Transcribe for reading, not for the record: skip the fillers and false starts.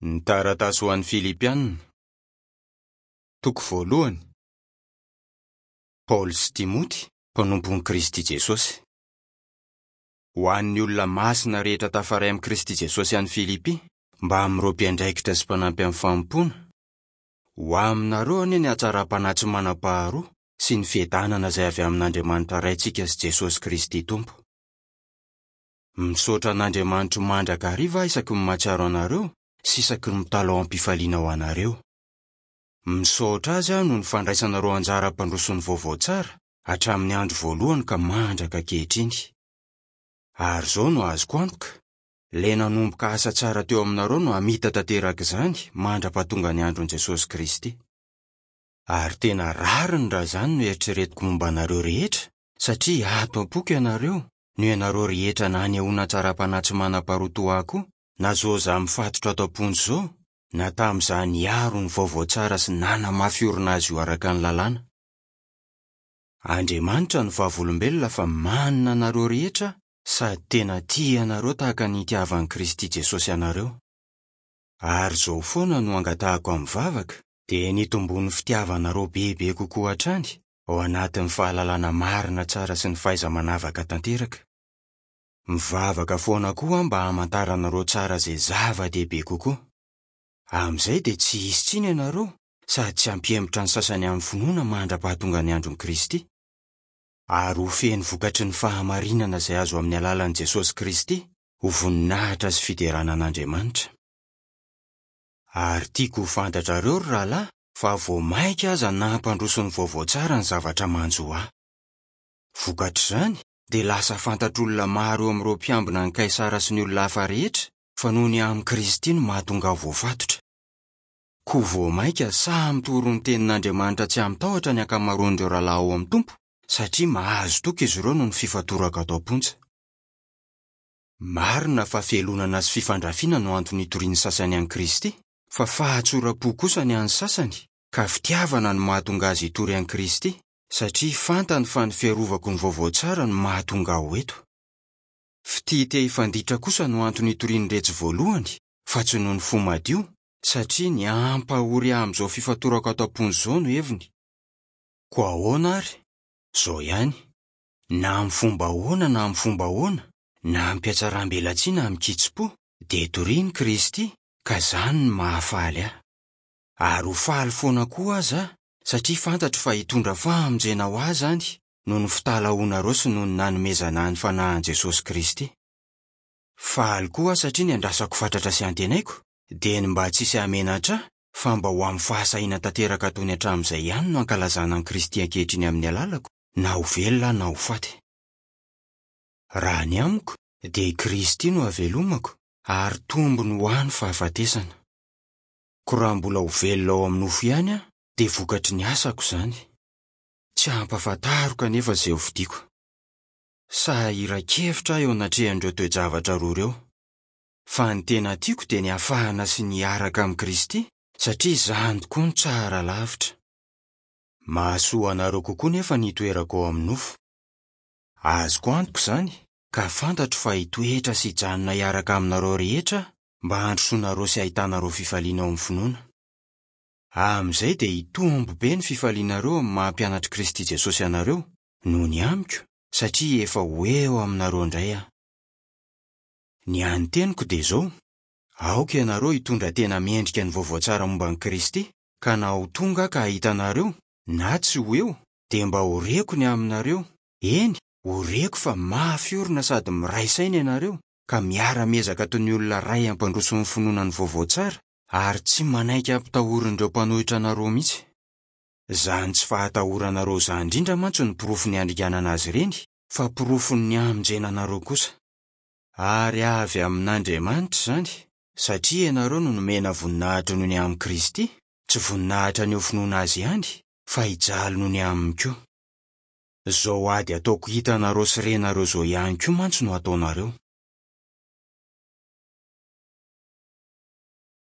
Ny taratasy ho an'ny Filipiana. Toko voalohany. Paoly sy Timoty, mpanompon'i Kristy Jesosy. Ho an'ny olona masina rehetra tafaray amin'i Kristy Jesosy any Filipy, mbamin'ireo mpiandraikitra sy mpanampy amin'ny fanompoana, ho aminareo anie ny hatsaram-panahy tsy manam-paharoa sy ny fiadanana izay avy amin'Andriamanitra Raintsika sy Jesosy Kristy Tompo. Misaotra an'Andriamanitro mandrakariva aho isaky ny mahatsiaro anareo sy isaky ny mitalaho am-pifaliana ho anareo. Misaotra Azy aho noho ny fandraisanareo anjara hampandroso ny vaovao tsara hatramin'ny andro voalohany ka mandraka ankehitriny. Ary izao no azoko antoka, Ilay nanomboka asa tsara teo aminareo no hamita tanteraka izany mandra-pahatonga ny andron'i Jesosy Kristy. Ary tena rariny raha izany no eritreretiko momba anareo rehetra, satria ato am-poko ianareo, noho ianareo rehetra nanehoana hatsaram-panahy tsy manam-paharoa toa ahy koa, na izao izaho mifatotra ato am-ponja izao, na tamin'izaho niaro ny vaovao tsara sy nanamafy orina azy io araka ny lalàna. Andriamanitra no vavolombelona fa manina anareo rehetra sady tena tia anareo tahaka ny itiavan'i Kristy Jesosy anareo. Ary izao foana no angatahako amin'ny vavaka, dia ny hitomboan'ny fitiavanareo bebe kokoa hatrany, ao anatin'ny fahalalana marina tsara sy ny fahaiza-manavaka tanteraka. Mivavaka foana koa aho mba hamantaranareo tsara izay zava-dehibe kokoa. Amin'izay dia tsy hisy tsiny ianareo sady tsy hampihemotra ny sasany amin'ny finoana mandra-pahatonga ny andron'i Kristy. Ary ho feno vokatry ny fahamarinana izay azo amin'ny alalan'i Jesosy Kristy ho voninahitra sy fiderana an'Andriamanitra. Ary tiako ho fantatrareo, ry rahalahy, fa vao mainka aza nampandroso ny vaovao tsara ny zavatra manjo ahy. Vokatr'izany, dia lasa fantatr'olona maro eo amin'ireo mpiambina an'i Kaisara sy ny olona hafa rehetra fa noho ny amin'i Kristy no mahatonga ahy voafatotra. Koa vao mainka sahy mitory ny tenin'Andriamanitra tsy amin-tahotra ny ankamaroan'ireo rahalahy ao amin'ny Tompo, satria mahazo toky izy ireo noho ny fifatorako ato am-ponja. Marina fa fialonana sy fifandrafiana no antony itorian'ny sasany an'i Kristy, fa fahatsoram-po kosa ny an'ny sasany, ka fitiavana no mahatonga azy hitory an'i Kristy, satria fantany fa ny fiarovako ny vaovao tsara no mahatonga ahy ho eto. Fitia te hifanditra kosa no antony itorian'iretsy voalohany, fa tsy noho ny fo madio, satria ny hampahory ahy amin'izao fifatorako ato am-ponja izao no heviny. Koa ahoana ary? Izao ihany. Na amin'ny fomba ahoana na amin'ny fomba ahoana, na amim-pihatsaram-belatsihy na amin-kitsim-po, dia torian'i Kristy, ka izany no mahafaly ahy. Ary ho faly foana koa aza aho, satria fantatro fa hitondra famonjena ho ahy izany, noho ny fitalahoanareo sy noho ny nanomezana ahy ny Fanahin'i Jesosy Kristy. Faly koa aho satria ny andrasako fatratra sy antenaiko, dia ny mba tsy hisy hahamenatra ahy, fa mba ho amin'ny fahasahiana tanteraka toy ny hatramin'izay ihany no ankalazana an'i Kristy ankehitriny amin'ny alalako, na ho velona aho na ho faty. Raha ny amiko, dia i Kristy no havelomako, ary tombony ho ahy ny fahafatesana. Koa raha mbola ho velona ao amin'ny nofo ihany aho, dia vokatry ny asako izany. Tsy hampahafantariko anefa izay hofidiko. Sahiran-kevitra aho eo anatrehan'ireo toe-javatra roa ireo. Fa ny tena tiako dia ny hafahana sy ny hiaraka amin'i Kristy, satria izany tokoa no tsara lavitra. Mahasoa anareo kokoa nefa ny hitoerako ao amin'ny nofo. Azoko antoka izany, ka fantatro fa hitoetra sy hijanona hiaraka aminareo rehetra aho, mba handrosoanareo sy hahitanareo fifaliana ao amin'ny finoana. Amin'izay dia hitombo be ny fifalianareo amin'ny maha-mpianatr'i Kristy Jesosy anareo, noho ny amiko, satria efa ho eo aminareo indray aho. Ny hany teniko dia izao, aoka ianareo hitondra tena mendrika ny vaovao tsara momba an'i Kristy, ka na ho tonga aho ka hahita anareo, na tsy ho eo, dia mba ho reko ny aminareo, eny, ho reko fa mafy orina sady miray saina ianareo, ka miara-miezaka toy ny olona iray hampandroso ny finoana ny vaovao tsara, ary tsy manaiky hampitahorin'ireo mpanohitra anareo mihitsy. Izany tsy fahatahoranareo izany indrindra mantsy no porofon'ny handringanana azy ireny, fa porofon'ny hamonjena anareo kosa. Ary avy amin'Andriamanitra izany, satria ianareo no nomena voninahitra noho ny amin'i Kristy, tsy voninahitra ny ho finoana Azy ihany, fa hijaly noho ny aminy koa. Izao ady ataoko hitanareo sy renareo izao ihany koa mantsy no ataonareo.